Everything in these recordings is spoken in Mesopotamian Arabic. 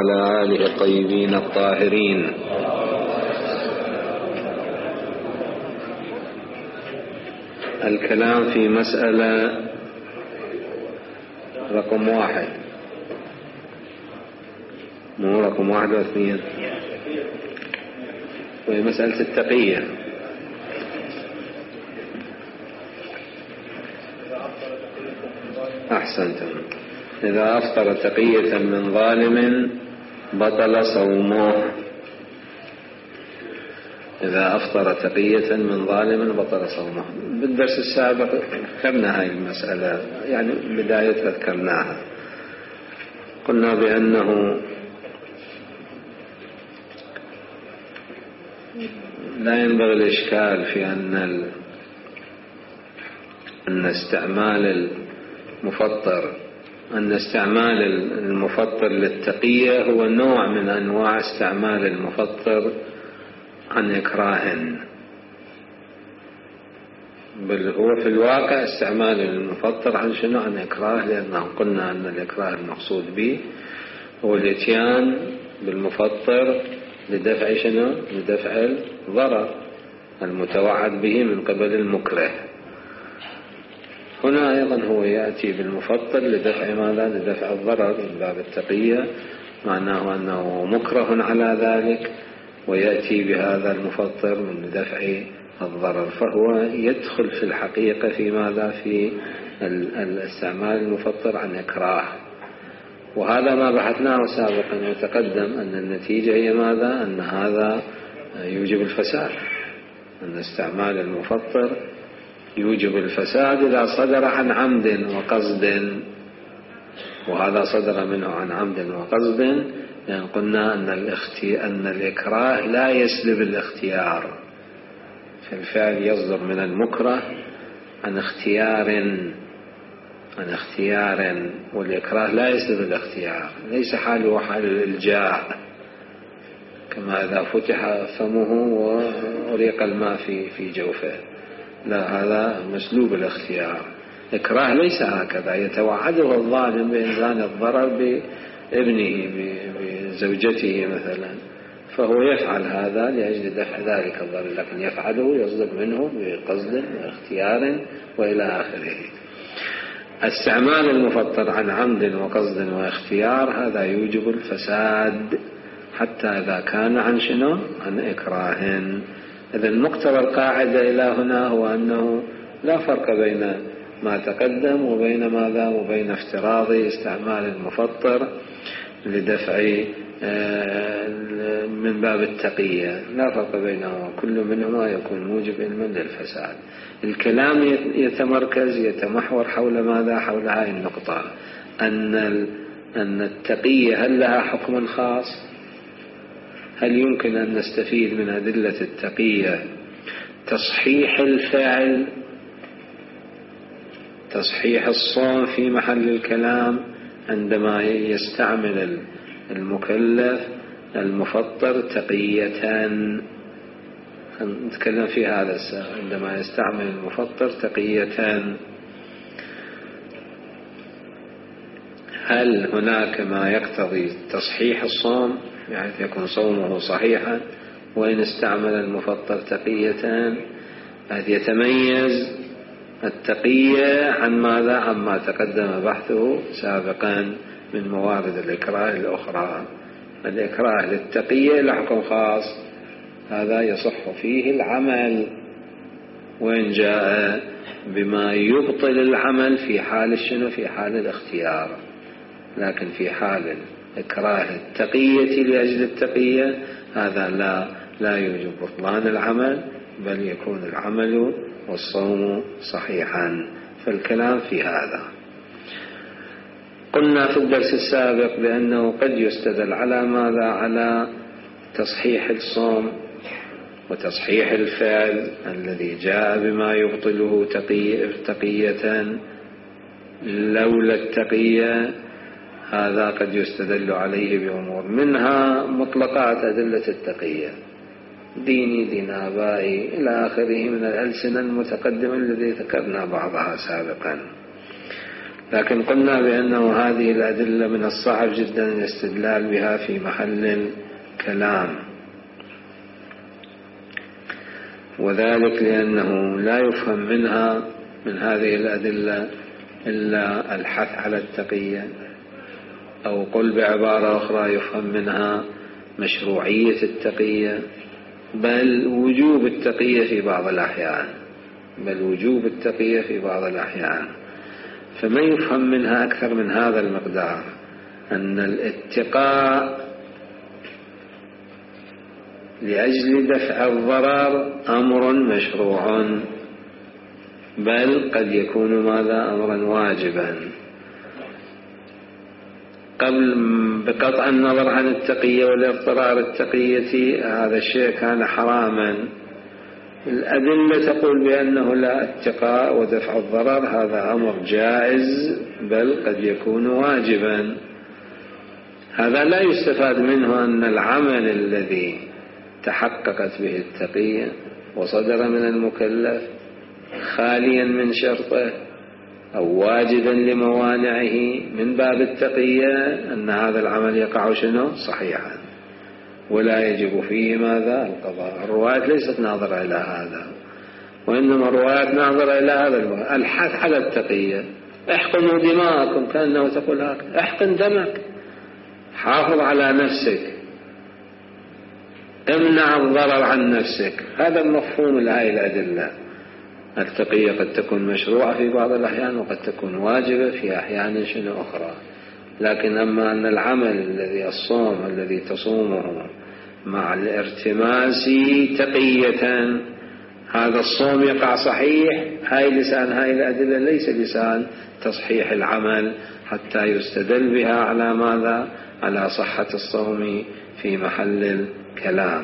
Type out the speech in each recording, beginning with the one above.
وعلى آله الطيبين الطاهرين. الكلام في مسألة رقم 1، مو رقم 1 و2، وهي مسألة التقية. أحسنتم. إذا أفطر تقية من ظالم بطل صومه. إذا أفطر تقية من ظالم بطل صومه. بالدرس السابق ذكرنا هاي المسألة، يعني بداية ذكرناها. قلنا بأنه لا ينبغي الإشكال في أن استعمال المفطر للتقية هو نوع من أنواع استعمال المفطر عن إكراه، بل هو في الواقع استعمال المفطر عن شنو؟ عن إكراه، لأنه قلنا أن الإكراه المقصود به هو الإتيان بالمفطر لدفع شنو؟ لدفع الضرر المتوعد به من قبل المكره. هنا أيضا هو يأتي بالمفطر لدفع ماذا؟ لدفع الضرر من باب التقية، معناه أنه مكره على ذلك ويأتي بهذا المفطر من دفع الضرر، فهو يدخل في الحقيقة في ماذا؟ في الاستعمال المفطر عن إكراه. وهذا ما بحثناه سابقا وتقدم أن النتيجة هي ماذا؟ أن هذا يوجب الفساد، أن استعمال المفطر يوجب الفساد إذا صدر عن عمد وقصد، وهذا صدر منه عن عمد وقصد، لأن قلنا أن الإكراه لا يسلب الاختيار، فالفعل يصدر من المكره عن اختيار، والإكراه لا يسلب الاختيار، ليس حاله حال الإلجاء كما إذا فتح فمه وأريق الماء في جوفه، لا، هذا مسلوب الاختيار. إكراه ليس هكذا، يتوعده الظالم بإنزال الضرر بابنه بزوجته مثلا، فهو يفعل هذا لأجل دفع ذلك الضرر، لكن يفعله يصدر منه بقصد واختيار وإلى آخره. استعمال المفطر عن عمد وقصد واختيار هذا يوجب الفساد حتى إذا كان عن شنو؟ عن إكراه. إذن مقتضى القاعدة إلى هنا هو أنه لا فرق بين ما تقدم وبين ماذا؟ وبين افتراض استعمال المفطر لدفع من باب التقية، لا فرق بينهما، كل منهما يكون موجب علما للفساد. الكلام يتمحور حول ماذا؟ حول هذه النقطة، أن التقية هل لها حكم خاص؟ هل يمكن أن نستفيد من أدلة التقية تصحيح الفعل، تصحيح الصوم في محل الكلام عندما يستعمل المكلف المفطر تقية؟ نتكلم في هذا عندما يستعمل المفطر تقية، هل هناك ما يقتضي تصحيح الصوم يعني يكون صومه صحيحا وإن استعمل المفطر تقية؟ هذا يتميز التقية عن ماذا؟ عما تقدم بحثه سابقا من موارد الإكراه الأخرى. الإكراه للتقية لحكم خاص، هذا يصح فيه العمل وإن جاء بما يبطل العمل في حال شنو؟ في حال الاختيار، لكن في حال إكراه التقية لأجل التقية هذا لا يوجب بطلان العمل، بل يكون العمل والصوم صحيحا. فالكلام في هذا. قلنا في الدرس السابق بأنه قد يستدل على ماذا؟ على تصحيح الصوم وتصحيح الفعل الذي جاء بما يبطله تقية لولا التقية، هذا قد يستدل عليه بأمور، منها مطلقات أدلة التقية، ديني دين آبائي إلى آخره من الألسنة المتقدمة الذي ذكرنا بعضها سابقا. لكن قلنا بأنه هذه الأدلة من الصعب جدا الاستدلال بها في محل الكلام، وذلك لأنه لا يفهم منها من هذه الأدلة إلا الحث على التقية، أو قل بعبارة أخرى يفهم منها مشروعية التقية، بل وجوب التقية في بعض الأحيان، فما يفهم منها أكثر من هذا المقدار، أن الاتقاء لأجل دفع الضرر أمر مشروع، بل قد يكون ماذا أمرا واجبا، بقطع النظر عن التقية والاضطرار التقية هذا الشيء كان حراما. الأدلة تقول بأنه لا، اتقاء ودفع الضرر هذا أمر جائز بل قد يكون واجبا. هذا لا يستفاد منه أن العمل الذي تحققت به التقية وصدر من المكلف خاليا من شرطه أو واجدا لموانعه من باب التقية أن هذا العمل يقع صحيحا ولا يجب فيه ماذا القضاء. الروايات ليست ناظرة إلى هذا، وإنما الروايات ناظرة إلى هذا الحث على التقية. احقنوا دماءكم، كأنه تقول هكذا، احقن دمك، حافظ على نفسك، امنع الضرر عن نفسك. هذا المفهوم لهذه الأدلة. التقية قد تكون مشروعة في بعض الأحيان وقد تكون واجبة في أحيان أخرى، لكن أما أن العمل الذي الصوم الذي تصومه مع الارتماس تقية هذا الصوم يقع صحيح، هاي لسان هاي الأدلة ليس لسان تصحيح العمل حتى يستدل بها على ماذا؟ على صحة الصوم في محل الكلام.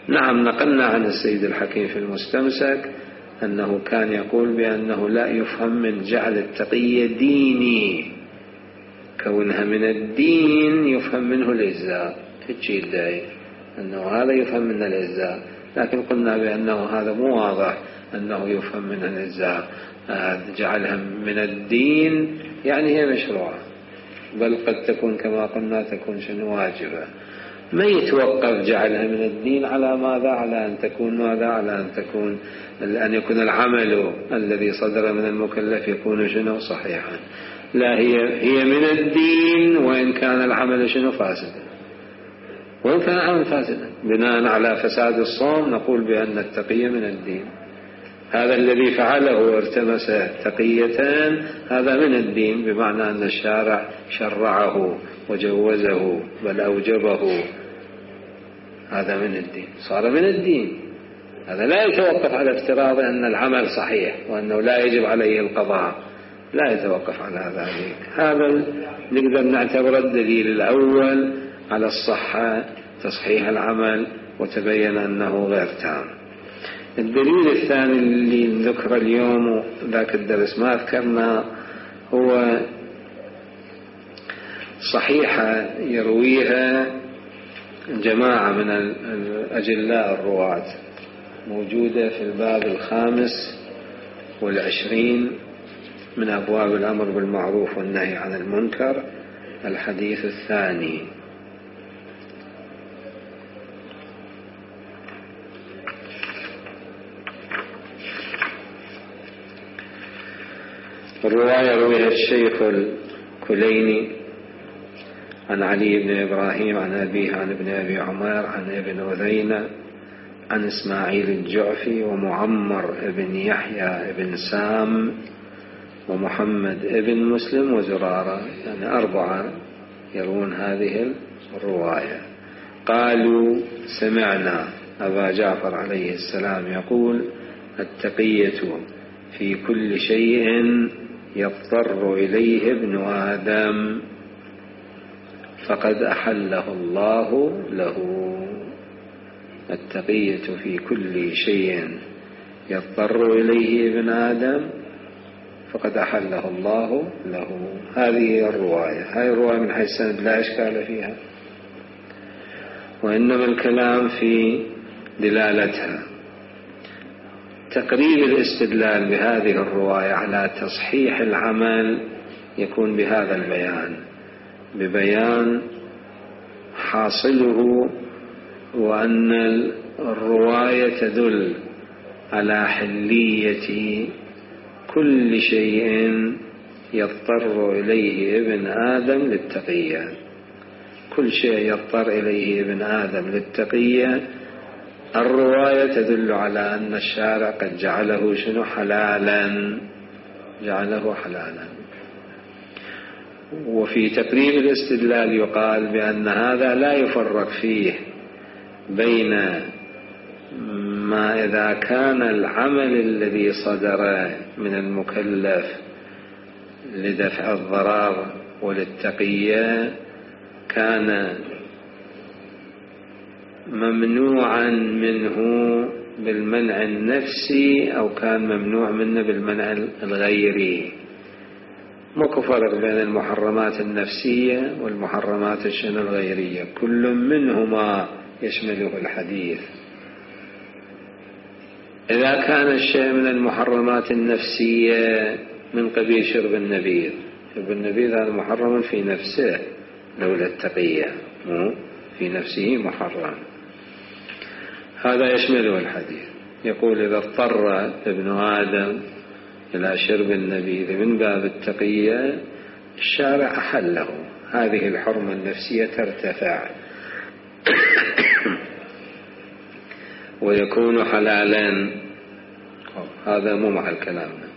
نعم، نقلنا عن السيد الحكيم في المستمسك أنه كان يقول بأنه لا يفهم من جعل التقية ديني، كونها من الدين يفهم منه الإجزاء، تجي الداعي أنه هذا يفهم من الإجزاء، لكن قلنا بأنه هذا مو واضح أنه يفهم من الإجزاء. جعلها من الدين يعني هي مشروعة، بل قد تكون كما قلنا تكون واجبة. ما يتوقف جعلها من الدين على ماذا؟ على أن تكون ماذا؟ على أن يكون العمل الذي صدر من المكلف يكون صحيحا. لا، هي من الدين وإن كان العمل فاسدا، وإن كان العمل فاسدا بناء على فساد الصوم نقول بأن التقية من الدين. هذا الذي فعله وارتمس تقيتان هذا من الدين، بمعنى أن الشارع شرعه وجوزه بل أوجبه، هذا من الدين، صار من الدين. هذا لا يتوقف على افتراض أن العمل صحيح وأنه لا يجب عليه القضاء، لا يتوقف على ذلك. هذا نقدر نعتبر الدليل الأول على الصحة، تصحيح العمل، وتبين أنه غير تام. الدليل الثاني اللي نذكر اليوم ذاك الدرس ما ذكرنا هو صحيحة يرويها جماعة من الأجلاء الرواة، موجودة في الباب 25 من أبواب الأمر بالمعروف والنهي عن المنكر، الحديث الثاني. الرواية رويها الشيخ الكليني عن علي بن إبراهيم عن أبيه عن ابن أبي عمر عن ابن أذينة عن إسماعيل الجعفي ومعمر بن يحيى بن سام ومحمد بن مسلم وزرارة، يعني 4 يروون هذه الرواية. قالوا سمعنا أبا جعفر عليه السلام يقول: التقية في كل شيء يضطر إليه ابن آدم فقد أحله الله له. التقية في كل شيء يضطر إليه ابن آدم فقد أحله الله له. هذه الرواية، هذه الرواية من حيث السند لا إشكال فيها، وإنما الكلام في دلالتها. تقريب الاستدلال بهذه الرواية على تصحيح العمل يكون بهذا البيان، ببيان حاصله، وأن الرواية تدل على حلية كل شيء يضطر إليه ابن آدم للتقية. كل شيء يضطر إليه ابن آدم للتقية الرواية تدل على أن الشارع قد جعله شنو؟ حلالا، جعله حلالا. وفي تقريب الاستدلال يقال بأن هذا لا يفرق فيه بين ما إذا كان العمل الذي صدر من المكلف لدفع الضرر وللتقية كان ممنوعا منه بالمنع النفسي أو كان ممنوع منه بالمنع الغيري. ماكو فرق بين المحرمات النفسية والمحرمات الغيرية، كل منهما يشمله الحديث. إذا كان الشيء من المحرمات النفسية من قبيل شرب النبيذ، شرب النبيذ هذا محرم في نفسه لولا التقية، في نفسه محرم، هذا يشمله الحديث. يقول إذا اضطر ابن آدم إلى شرب النبيذ من باب التقية الشارع أحله، هذه الحرمة النفسية ترتفع ويكون حلالا. هذا مو محل كلامنا.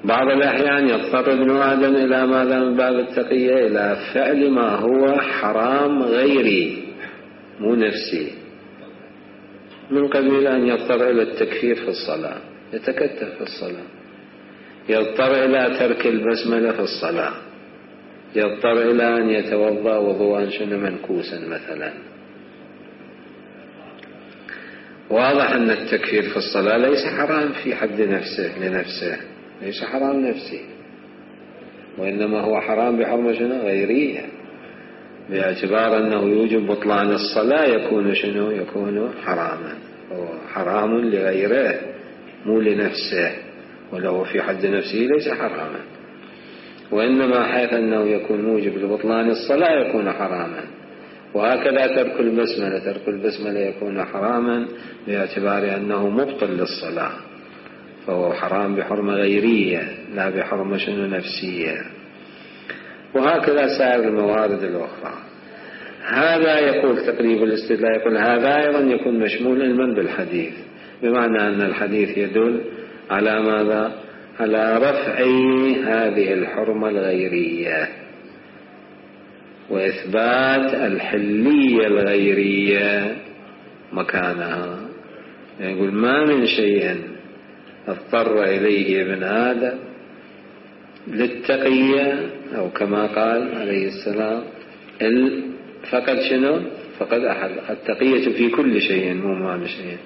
بعض الأحيان يضطر ابن آدم إلى ماذا من باب التقية؟ إلى فعل ما هو حرام غيري مو نفسي، من قبيل أن يضطر إلى التكفير في الصلاة، يتكتف في الصلاة، يضطر إلى ترك البسملة في الصلاة، يضطر إلى أن يتوضأ وضوءا منكوسا مثلا. واضح أن التكفير في الصلاة ليس حرام في حد نفسه لنفسه، ليس حرام نفسي، وإنما هو حرام بحرمة غيرية، باعتبار أنه يوجب بطلان الصلاة يكون يكون حراما، هو حرام لغيره مو لنفسه، ولو في حد نفسه ليس حراما، وإنما حيث أنه يكون موجب لبطلان الصلاة يكون حراما. وهكذا ترك البسملة يكون حراما باعتبار أنه مبطل للصلاة، فهو حرام بحرمة غيرية لا بحرمة نفسية. وهكذا سائر الموارد الأخرى. هذا يقول تقريب الاستدلال، يقول هذا أيضا يكون مشمول علما بالحديث، بمعنى أن الحديث يدل على ماذا؟ على رفع هذه الحرمة الغيرية وإثبات الحلية الغيرية مكانها. يقول ما من شيء اضطر إليه ابن آدم للتقية، أو كما قال عليه السلام فقد فقد أحل. التقية في كل شيء مو ما من شيء،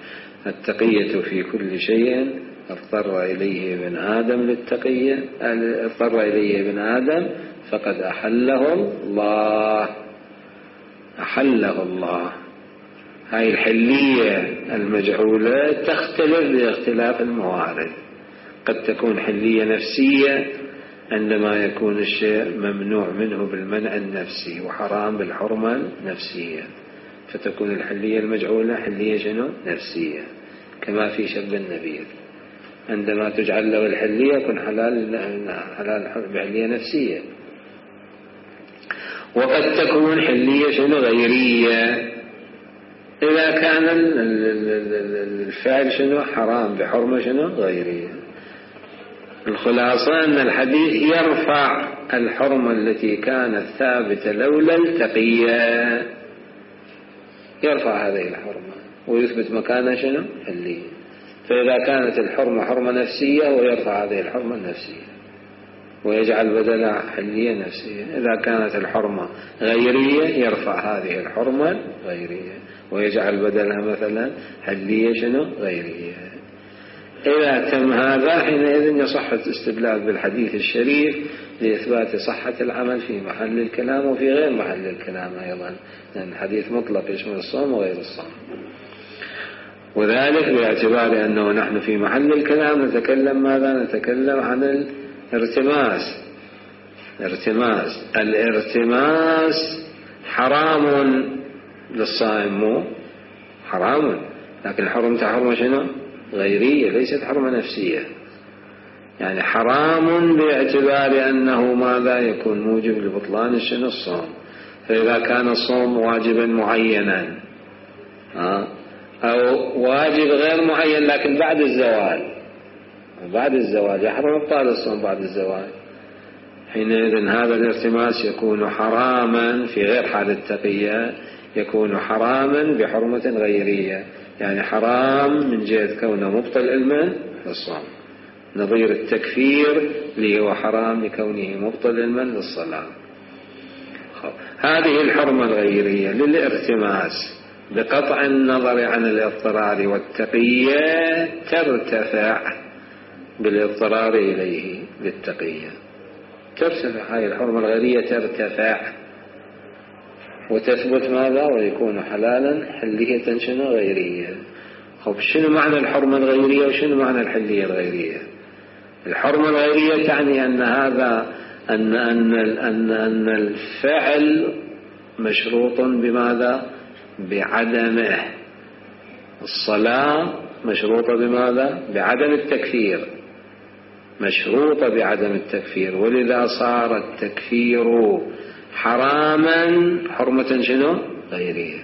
التقية في كل شيء اضطر إليه ابن آدم للتقية، اضطر إليه ابن آدم فقد أحله الله، أحله الله. هاي الحلية المجعولة تختلف باختلاف الموارد، قد تكون حلية نفسية عندما يكون الشيء ممنوع منه بالمنع النفسي وحرام بالحرمة النفسية، فتكون الحلية المجعولة حلية نفسية، كما في شرب النبيذ عندما تجعل له الحلية يكون حلال بحلية نفسية. وقد تكون حلية غيرية إذا كان الفعل حرام بحرمة غيرية. الخلاصة أن الحديث يرفع الحرمة التي كانت ثابتة لولا التقية، يرفع هذه الحرمة ويثبت مكانها حلية. فإذا كانت الحرمة حرمة نفسية ويرفع هذه الحرمة النفسية ويجعل بدلها حلية نفسية. إذا كانت الحرمة غيرية يرفع هذه الحرمة غيرية ويجعل بدلها مثلا حلية غيرية. إذا تم هذا حينئذ يصح الاستدلال بالحديث الشريف لإثبات صحة العمل في محل الكلام وفي غير محل الكلام أيضا، لأن الحديث مطلق يشمل الصوم وغير الصوم. وذلك باعتبار أنه نحن في محل الكلام نتكلم ماذا؟ نتكلم عن الارتماس، الارتماس حرام للصائم، مو حرام، لكن حرمته حرمة شنو؟ غيرية، ليست حرمة نفسية. يعني حرام باعتبار أنه ماذا يكون موجب لبطلان شنو؟ الصوم. فإذا كان الصوم واجبا معينا أو واجب غير معين لكن بعد الزواج يحرم إبطال الصوم بعد الزواج، حينئذ هذا الارتماس يكون حراما في غير حال التقية، يكون حراما بحرمة غيرية، يعني حرام من جهة كونه مبطل علما للصوم، نظير التكفير اللي هو حرام لكونه مبطل علما للصلاة. هذه الحرمة الغيرية للارتماس بقطع النظر عن الاضطرار والتقية ترتفع بالاضطرار إليه للتقية، ترتفع هذه الحرمة الغيرية، ترتفع وتثبت ماذا؟ ويكون حلالا حلية شنو؟ غيرية. شنو معنى الحرمة الغيرية وشنو معنى الحلية الغيرية؟ الحرمة الغيرية تعني أن هذا أن الفعل مشروط بماذا؟ بعدمه. الصلاة مشروطة بماذا؟ بعدم التكفير، مشروطة بعدم التكفير، ولذا صار التكفير حراما حرمة شنو؟ غيرية.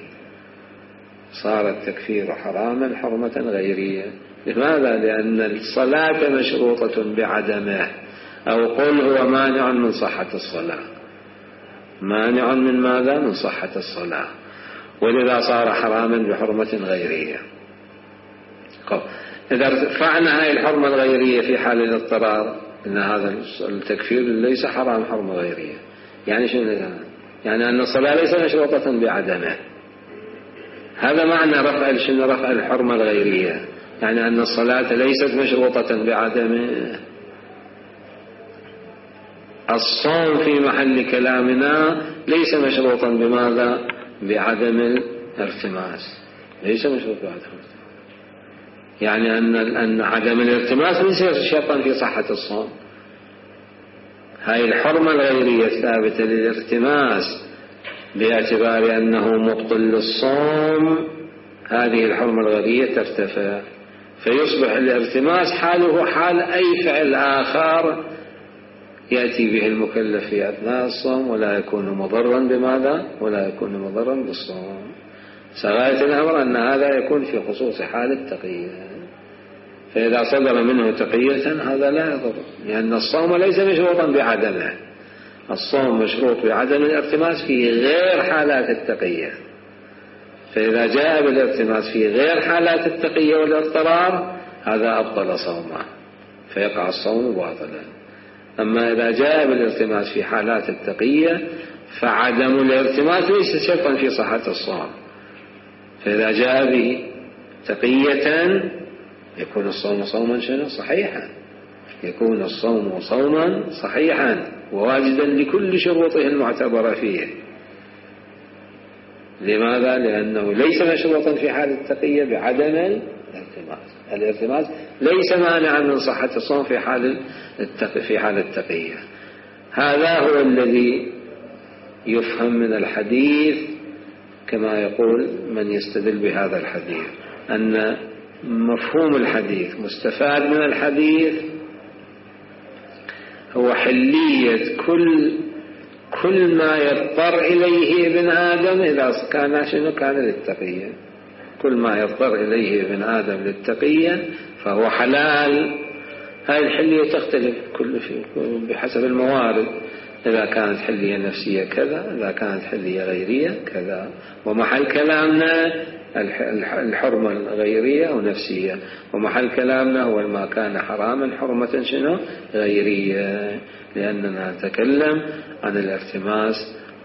صار التكفير حراما حرمة غيرية. لماذا؟ لأن الصلاة مشروطة بعدمه، أو قل هو مانع من صحة الصلاة، مانع من ماذا؟ من صحة الصلاة، ولذا صار حراما بحرمة غيرية. إذا ارتفعنا هذه الحرمة الغيرية في حال الاضطرار، إن هذا التكفير ليس حرام حرمة غيرية. يعني شنو؟ يعني أن الصلاة ليس مشروطة بعدمه. هذا معنى رفع الحرمة الغيرية، يعني أن الصلاة ليست مشروطة بعدمه. الصوم في محل كلامنا ليس مشروطا بماذا؟ بعدم الارتماس، ليس مشروط بعدم الارتماس. يعني أن عدم الارتماس ليس شرطا في صحة الصوم. هاي الحرمة الغيرية الثابتة للارتماس باعتبار أنه مبطل للصوم، هذه الحرمة الغيرية ترتفع، فيصبح الارتماس حاله حال أي فعل آخر يأتي به المكلف في أثناء الصوم، ولا يكون مضرا بماذا؟ ولا يكون مضرا بالصوم. سغاية الأمر أن هذا يكون في خصوص حال التقية، فإذا صدر منه تقية هذا لا يضر، لأن الصوم ليس مشروطا بعدمه. الصوم مشروط بعدم الارتماس في غير حالات التقية، فإذا جاء بالارتماس في غير حالات التقية والاضطرار هذا أبطل صومه فيقع الصوم باطلا. أما إذا جاء بالارتماس في حالات التقية فعدم الارتماس ليس شرطا في صحة الصوم، فإذا جاء به تقية يكون الصوم صوما شنو؟ صحيحا، يكون الصوم صوما صحيحا وواجدا لكل شروطه المعتبرة فيه. لماذا؟ لأنه ليس مشروطا في حال التقية بعدم الارتماس. الارتماس ليس مانعا من صحة الصوم في حال التقية. هذا هو الذي يفهم من الحديث كما يقول من يستدل بهذا الحديث، أن مفهوم الحديث مستفاد من الحديث هو حلية كل ما يضطر إليه ابن آدم إذا كان شنو؟ كان للتقية. كل ما يضطر إليه ابن آدم للتقية فهو حلال. هذه الحلية تختلف بحسب الموارد، إذا كانت حلية نفسية كذا، إذا كانت حلية غيرية كذا. ومحل كلامنا الحرمة الغيرية أو نفسية، ومحل كلامنا هو ما كان حراما حرمة شنو؟ غيرية، لأننا نتكلم عن الارتماس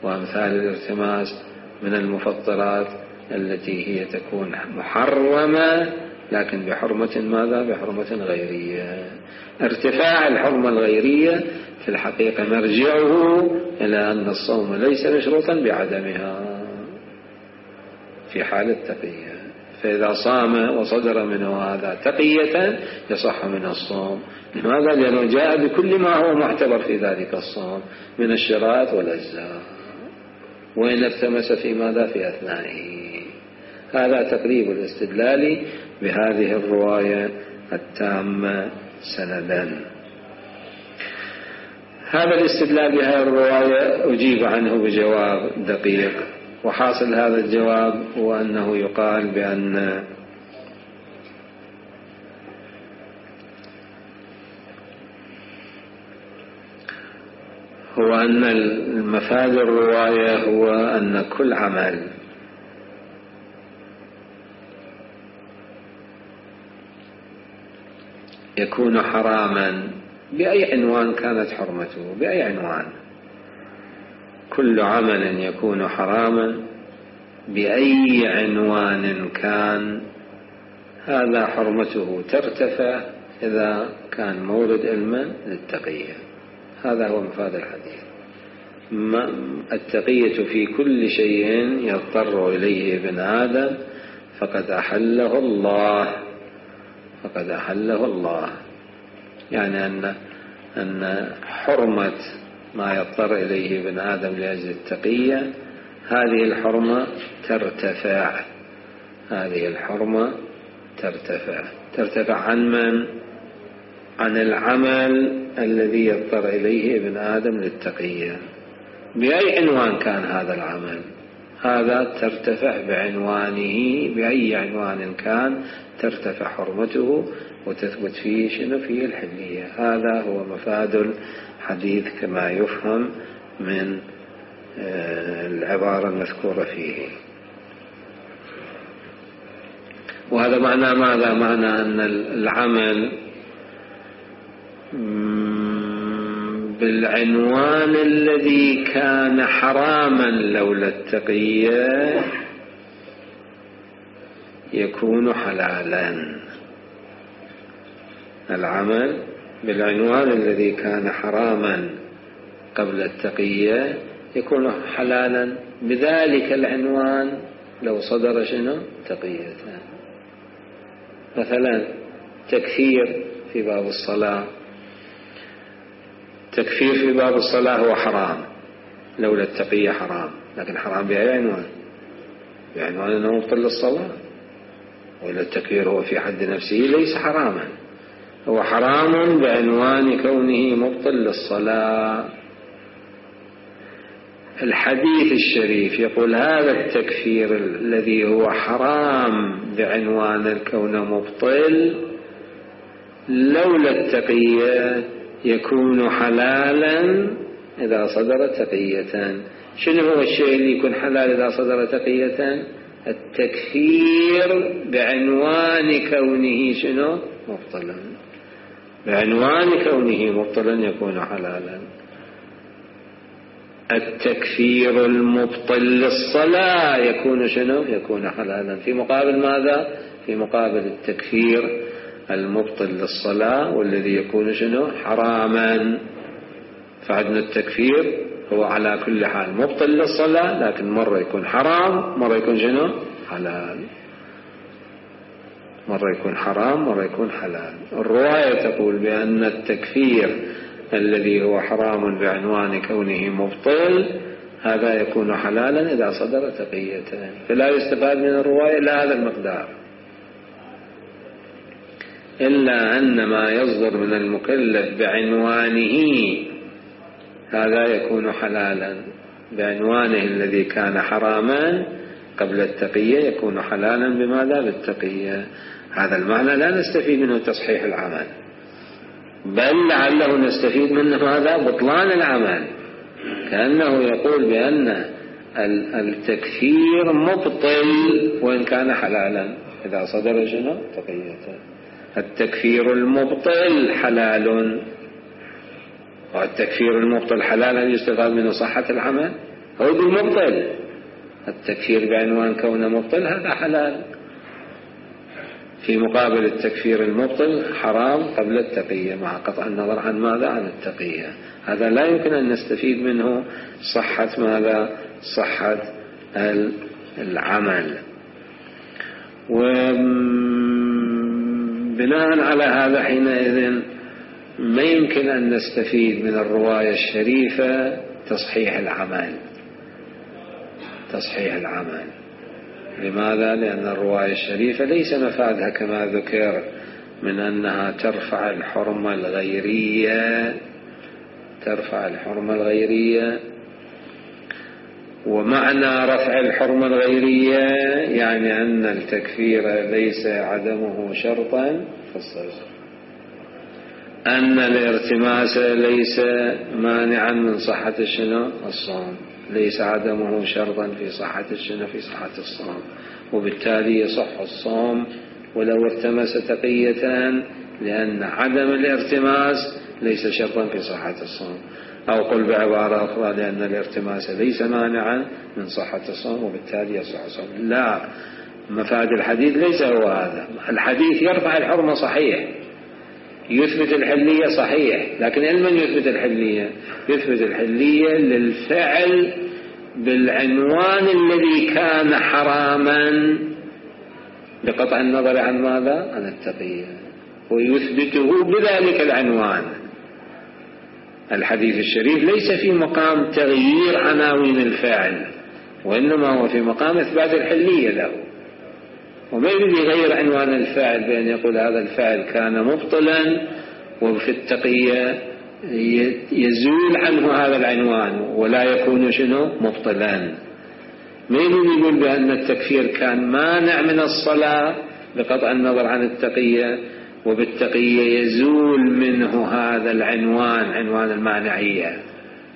وأمثال الارتماس من المفطرات التي هي تكون محرمة لكن بحرمة ماذا؟ بحرمة غيرية. ارتفاع الحرمة الغيرية في الحقيقة مرجعه إلى أن الصوم ليس مشروطا بعدمها في حال التقية، فإذا صام وصدر منه هذا تقية يصح منه الصوم. لماذا؟ لأنه جاء بكل ما هو معتبر في ذلك الصوم من الشرائط والأجزاء، وإن التمس في ماذا؟ في أثنائه. هذا تقريب الاستدلال بهذه الرواية التامة سندا. هذا الاستدلال بهذه الرواية أجيب عنه بجواب دقيق، وحاصل هذا الجواب هو أنه يقال بأن المفاد الرواية هو أن كل عمل يكون حراما بأي عنوان كانت حرمته، بأي عنوان، كل عمل يكون حراما بأي عنوان كان، هذا حرمته ترتفع إذا كان مورد علما للتقية. هذا هو مفاد الحديث. التقية في كل شيء يضطر إليه ابن آدم فقد أحله الله، فقد أحله الله. يعني أن حرمة ما يضطر إليه ابن آدم لأجل التقية هذه الحرمة ترتفع، هذه الحرمة ترتفع عن من؟ عن العمل الذي يضطر إليه ابن آدم للتقية بأي عنوان كان هذا العمل، هذا ترتفع بعنوانه، بأي عنوان كان ترتفع حرمته وتثبت فيه شنو؟ فيه الحلية. هذا هو مفاد الحديث كما يفهم من العبارة المذكورة فيه. وهذا معنى ماذا؟ معنى أن العمل بالعنوان الذي كان حراما لولا التقية يكون حلالا. العمل بالعنوان الذي كان حراما قبل التقية يكون حلالا بذلك العنوان لو صدر شنو؟ تقية. مثلا تكفير في باب الصلاة، تكفير في باب الصلاة هو حرام لولا التقية حرام، لكن حرام بأي عنوان؟ بعنوان أنه مبطل للصلاة. وإلا التكفير هو في حد نفسه ليس حراما، هو حرام بعنوان كونه مبطل للصلاة. الحديث الشريف يقول هذا التكفير الذي هو حرام بعنوان الكون مبطل لولا التقية يكون حلالا إذا صدر تقية. شنو هو الشيء اللي يكون حلال إذا صدر تقية؟ التكفير بعنوان كونه شنو؟ مبطلا. بعنوان كونه مبطلا يكون حلالا. التكفير المبطل للصلاة يكون شنو؟ يكون حلالا. في مقابل ماذا؟ في مقابل التكفير المبطل للصلاة والذي يكون شنو؟ حراما. فعندنا التكفير هو على كل حال مبطل للصلاة، لكن مرة يكون حرام، مرة يكون شنو؟ حلال. مرة يكون حرام، مرة يكون حلال. الرواية تقول بأن التكفير الذي هو حرام بعنوان كونه مبطل هذا يكون حلالا إذا صدر تقية. فلا يستفاد من الرواية إلا هذا المقدار، إلا أن ما يصدر من المكلف بعنوانه هذا يكون حلالا، بعنوانه الذي كان حراما قبل التقية يكون حلالا بماذا؟ بالتقية. هذا المعنى لا نستفيد منه تصحيح العمل، بل لعله نستفيد منه ماذا؟ بطلان العمل. كأنه يقول بأن التكفير مبطل وإن كان حلالا إذا صدر شنو؟ تقية. التكفير المبطل حلال، والتكفير المبطل حلال هل يستفاد منه صحة العمل؟ هو بالمبطل. التكفير بعنوان كونه مبطل هذا حلال، في مقابل التكفير المبطل حرام قبل التقية مع قطع النظر عن ماذا؟ عن التقية. هذا لا يمكن أن نستفيد منه صحة ماذا؟ صحة العمل. وبناء على هذا حينئذ ما يمكن أن نستفيد من الرواية الشريفة تصحيح العمل. لماذا؟ لأن الرواية الشريفة ليس مفادها كما ذكر من أنها ترفع الحرمة الغيرية، ومعنى رفع الحرمة الغيرية يعني أن التكفير ليس عدمه شرطا في الصلاة، أن الارتماس ليس مانعا من صحة الصوم، ليس عدمه شرطا في صحة الصوم، وبالتالي يصح الصوم ولو ارتمس تقية، لأن عدم الارتماس ليس شرطا في صحة الصوم. أو قل بعبارة أخرى لأن الارتماس ليس مانعا من صحة الصوم وبالتالي يصح الصوم. لا، مفاد الحديث ليس هو هذا. الحديث يرفع الحرمة صحيح، يثبت الحلية صحيح، لكن من يثبت الحلية؟ يثبت الحلية للفعل بالعنوان الذي كان حراما بقطع النظر عن ماذا؟ عن التقية، ويثبته بذلك العنوان. الحديث الشريف ليس في مقام تغيير عناوين الفعل، وإنما هو في مقام إثبات الحلية له، وما يريد يغير عنوان الفعل بأن يقول هذا الفعل كان مبطلا وفي التقية يزول عنه هذا العنوان ولا يكون مبطلا. ما يريد يقول بأن التكفير كان مانع من الصلاة بقطع النظر عن التقية، وبالتقية يزول منه هذا العنوان، عنوان المانعية.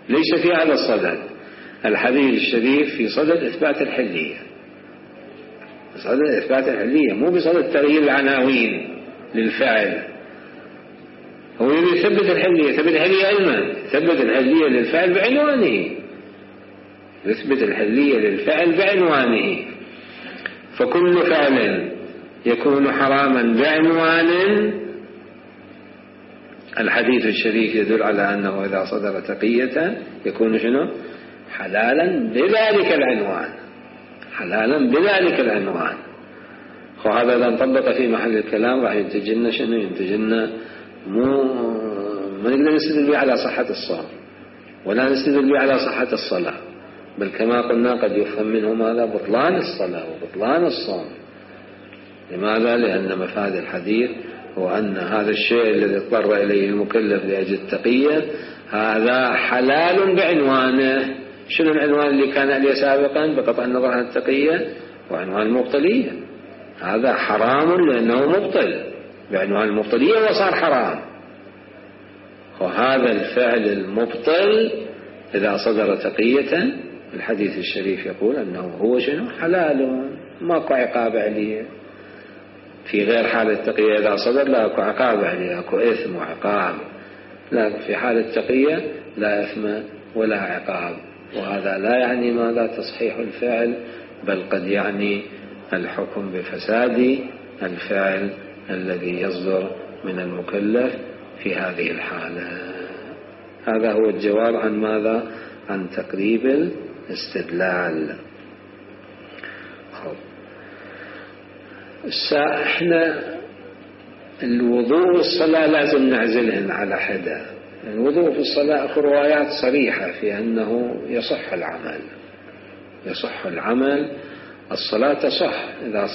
ليس في هذا الصدد. الحديث الشريف في صدد إثبات الحلية، بصدد إثبات الحلية، مو بصدد تغيير العناوين للفعل. هو يثبت الحلية، يثبت الحلية علما، يثبت الحلية للفعل بعنوانه، يثبت الحلية للفعل بعنوانه. فكل فعل يكون حراما بعنوان الحديث الشريف يدل على أنه إذا صدر تقية يكون حلالا بذلك العنوان. وهذا إذا انطبق في محل الكلام راح ينتجلنا ينتجلنا ما نقدر نستدل به على صحة الصوم ولا نستدل به على صحة الصلاة، بل كما قلنا قد يفهم منه ماذا؟ بطلان الصلاة وبطلان الصوم. لماذا؟ لأن مفاد الحديث هو أن هذا الشيء الذي اضطر إليه المكلف لأجل التقية هذا حلال بعنوانه. شنو العنوان اللي كان عليه سابقا بقطع النظر عن التقية؟ وعنوان المبطلية. هذا حرام لأنه مبطل بعنوان المبطلية وصار حرام. وهذا الفعل المبطل إذا صدر تقية الحديث الشريف يقول أنه هو حلال، ماكو عقاب عليه. في غير حال التقية إذا صدر لا أكو عقاب عليه، أكو إثم وعقاب، لكن في حال التقية لا إثم ولا عقاب. وهذا لا يعني ماذا؟ تصحيح الفعل، بل قد يعني الحكم بفساد الفعل الذي يصدر من المكلف في هذه الحالة. هذا هو الجواب عن ماذا؟ عن تقريب الاستدلال. احنا الوضوء والصلاة لازم نعزلهن على حدة. الوضوء في الصلاة أخو روايات صريحة في أنه يصح العمل. الصلاة تصح إذا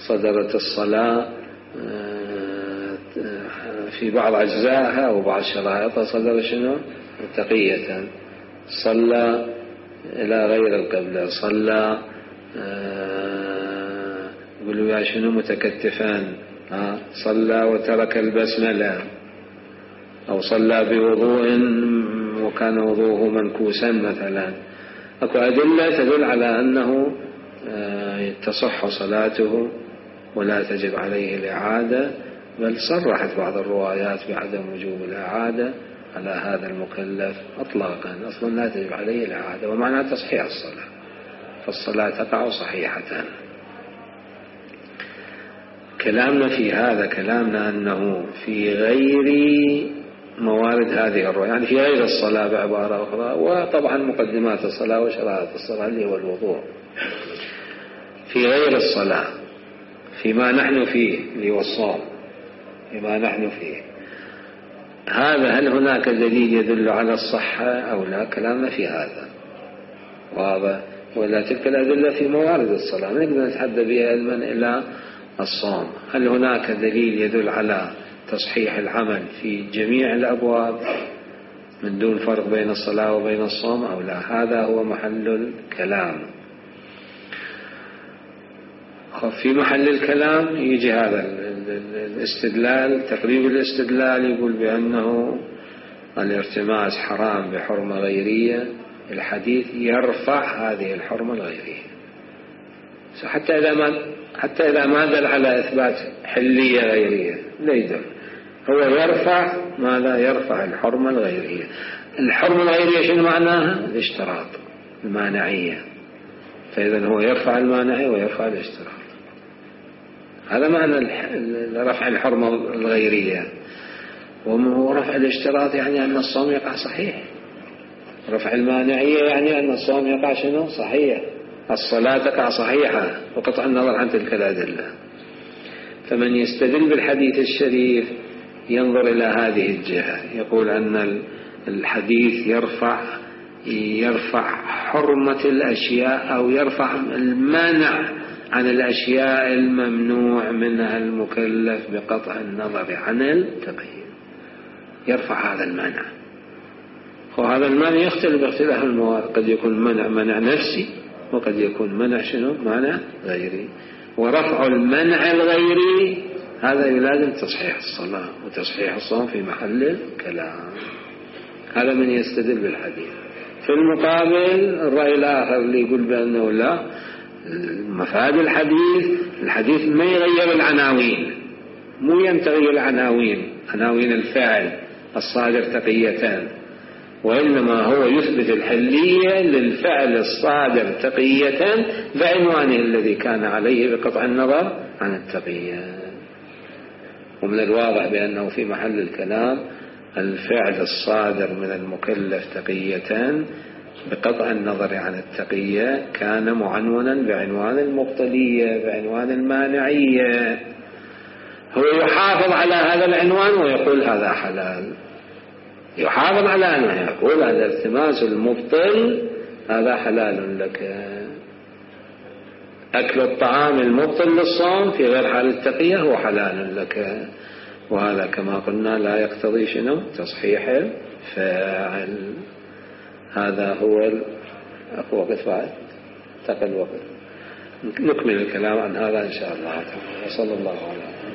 صدرت الصلاة في بعض أجزائها وبعض شرائطها صدر تقية. صلى إلى غير القبلة، صلى يقولوا يا متكتفان، صلى وترك البسملة، أو صلى بوضوء وكان وضوءه منكوسا مثلا. أكو أدلة تدل على أنه تصح صلاته ولا تجب عليه الإعادة، بل صرحت بعض الروايات بعدم وجوب الإعادة على هذا المكلف إطلاقا، أصلا لا تجب عليه الإعادة، ومعنى تصحيح الصلاة، فالصلاة تقع صحيحة. كلامنا في هذا كلامنا أنه في غير موارد هذه الرواية، يعني في غير الصلاة بعبارة أخرى، وطبعا مقدمات الصلاة وشرائط الصلاة اللي هو الوضوء. في غير الصلاة فيما نحن فيه اللي هو الصوم فيما نحن فيه، هذا هل هناك دليل يدل على الصحة أو لا؟ كلامنا في هذا واضح. ولا تلك الأدلة في موارد الصلاة نقدر نتحدى بها علما إلى الصوم. هل هناك دليل يدل على تصحيح العمل في جميع الأبواب من دون فرق بين الصلاة وبين الصوم أو لا؟ هذا هو محل الكلام. في محل الكلام يجي هذا الاستدلال، تقريب الاستدلال يقول بأنه الارتماس حرام بحرمة غيرية، الحديث يرفع هذه الحرمة الغيرية، حتى إذا ما دل على إثبات حلية غيرية لا يدل، هو يرفع ماذا؟ يرفع الحرمة الغيرية. الحرمة الغيرية شنو معناها؟ الاشتراط، المانعية، فإذا هو يرفع المانعية ويرفع الاشتراط. هذا معنى رفع الحرمة الغيرية. ورفع الاشتراط يعني أن الصوم يقع صحيح، رفع المانعية يعني أن الصوم يقع شنو؟ صحيح، الصلاة تقع صحيحة وقطع النظر عن تلك الأدلة. فمن يستدل بالحديث الشريف ينظر إلى هذه الجهة، يقول أن الحديث يرفع حرمة الأشياء أو يرفع المانع عن الأشياء الممنوع منها المكلف بقطع النظر عن التقييد، يرفع هذا المانع. وهذا المانع يختلف باختلاف الموارد، قد يكون منع نفسي وقد يكون منع شنو؟ منع غيري. ورفع المنع الغيري هذا يلازم تصحيح الصلاة وتصحيح الصوم في محل الكلام. هذا من يستدل بالحديث. في المقابل الرأي الآخر اللي يقول بأنه لا، مفاد الحديث ما يغير العناوين، مو ينتغي العناوين، عناوين الفاعل الصادر تقيتان، وإنما هو يثبت الحلية للفعل الصادر تقية بعنوانه الذي كان عليه بقطع النظر عن التقية. ومن الواضح بأنه في محل الكلام الفعل الصادر من المكلف تقية بقطع النظر عن التقية كان معنونا بعنوان المبطلية، بعنوان المانعية. هو يحافظ على هذا العنوان ويقول هذا حلال، يحافظ على أنه يقول هذا التماس المبطل هذا حلال لك، أكل الطعام المبطل للصوم في غير حال التقية هو حلال لك. وهذا كما قلنا لا يقتضي شنو؟ تصحيح الفاعل. هذا هو وقت بعد تقل وقت نكمل الكلام عن هذا إن شاء الله تعالى. وصلى الله عليه وسلم.